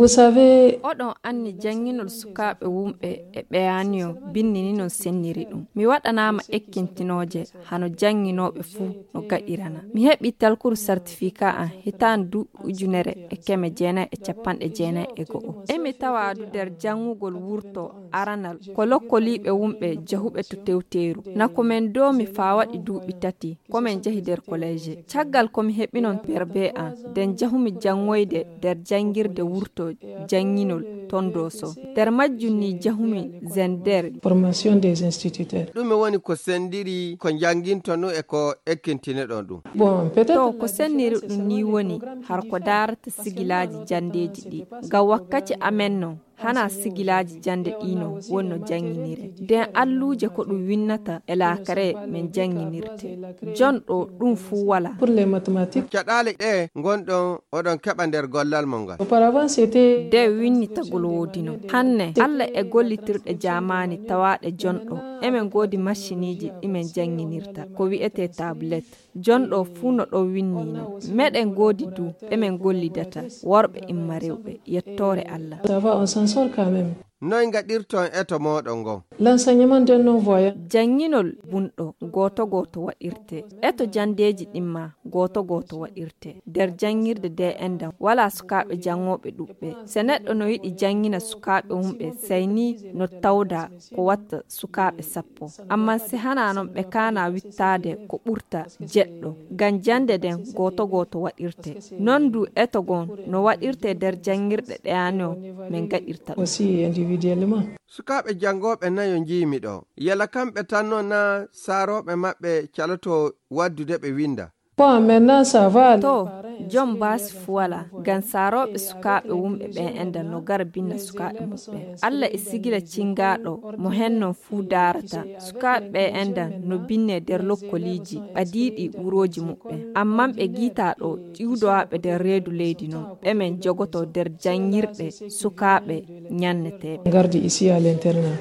Vous savez, oɗon anni janginol sukaaɓe wumɓe e ɓeyaniyo binnini non senniri ɗum. Mi waɗanama ekkintinoje hano janginoɓe fuu no gaɗirana. Mi heɓi talkuru certificat an hitandu 1991. Emi tawadu der jangugol wurto aranal ko lokkoliɓe wumɓe jahuɓe to tewteru. Nako men do mi fawaɗi duuɓi tati komin jahi der college. Caggal komi heɓinon perbe an den jahumi jangoyde der jangirde wurto janginol tondoso. Der majjunni jahumi zender formation des instituteurs. Ɗume woni ko sendiri ko jangintono e ko ekkintineɗon ɗum? Bon, peut-être to ko senniri ɗum ni woni har ko darata sigilaji jandeji ɗi. Ga wakkati amen non hana sigilaji jande ɗino wonno janginire. Den alluje ko ɗum winnata e lakare men janginirte. Jon ɗo ɗum fu wala. pour les mathématiques. Caɗaale ɗe gonɗon oɗon keɓa nder gollal mon ngal. Auparavant, c'était de winnitagol wodino hanne Allah e gollitirɗe jamani tawaɗe jonɗo emen godi machiniji ɗimen janginirta ko wi'ete tablet jonɗo fuu no ɗo winnino meɗen godi du emen gollidata worɓe imma rewɓe yettore Allah. ça va, on s'en sort quand même. Noy gaɗirton eto moɗon ngon? L'enseignement d'un non-voyant. Janginol bunɗo goto waɗirte eto jandeji ɗimma goto waɗirte der jangirde de endam wala sukaɓe jangoɓe ɗuɓɓe se neɗɗo no yiɗi jangina sukaɓe wumɓe sayni no tawda ko watta sukaɓe 10 amma se hana non ɓe kana wittade ko ɓurta jeɗɗo ngam jande den goto waɗirte non du eto gon no waɗirte der jangirɗe ɗeyano men gaɗirta Aussi individuellement. Sukaɓe jangoɓe nayo jiimi ɗo yala kamɓe tanno na saroɓe maɓɓe caloto waddude ɓe winda. Bon, maintenant ça va. to jom basi fuwala gan saroɓe sukaɓe wumɓe ɓe enda no gara binna sukaɓe muɓɓe Allah e sigila cingaɗo mo hennon fuu darata sukaɓe ɓe enda no binne der lokkoliji ɓadiɗi wuroji muɓɓe amman ɓe guitaɗo ƴiwdowaɓe der reedu leydi non ɓemen jogoto der jangirɗe sukaɓe ñanneteɓe. Garde ici à l'internat.